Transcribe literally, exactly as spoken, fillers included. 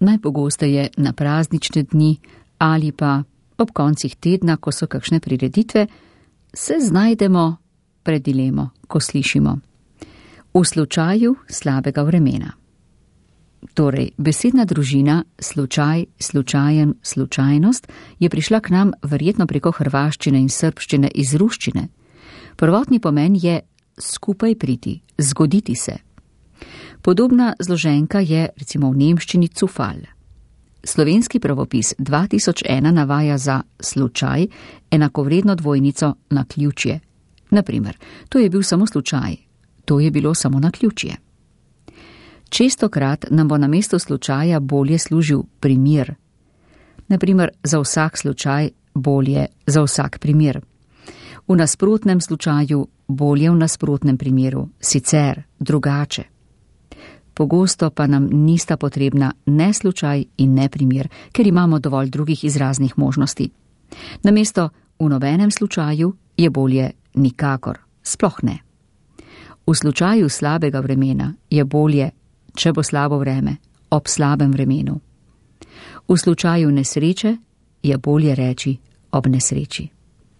najpogosteje na praznične dni ali pa ob koncih tedna, ko so kakšne prireditve, se znajdemo pred dilemo, ko slišimo: v slučaju slabega vremena. Torej, besedna družina slučaj, slučajen, slučajnost je prišla k nam verjetno preko hrvaščine in srbščine iz ruščine. Prvotni pomen je skupaj priti, zgoditi se. Podobna zloženka je recimo v nemščini Zufall. Slovenski pravopis dva tisoč ena navaja za slučaj enakovredno dvojnico naključje. Naprimer, to je bil samo slučaj, to je bilo samo naključje. Čestokrat nam bo namesto slučaja bolje služil primer. Naprimer, za vsak slučaj bolje za vsak primer. V nasprotnem slučaju bolje v nasprotnem primeru, sicer, drugače. Pogosto pa nam nista potrebna ne slučaj in ne primer, ker imamo dovolj drugih izraznih možnosti. Namesto v nobenem slučaju je bolje nikakor, sploh ne. V slučaju slabega vremena je bolje, če bo slabo vreme, ob slabem vremenu. V slučaju nesreče je bolje reči ob nesreči.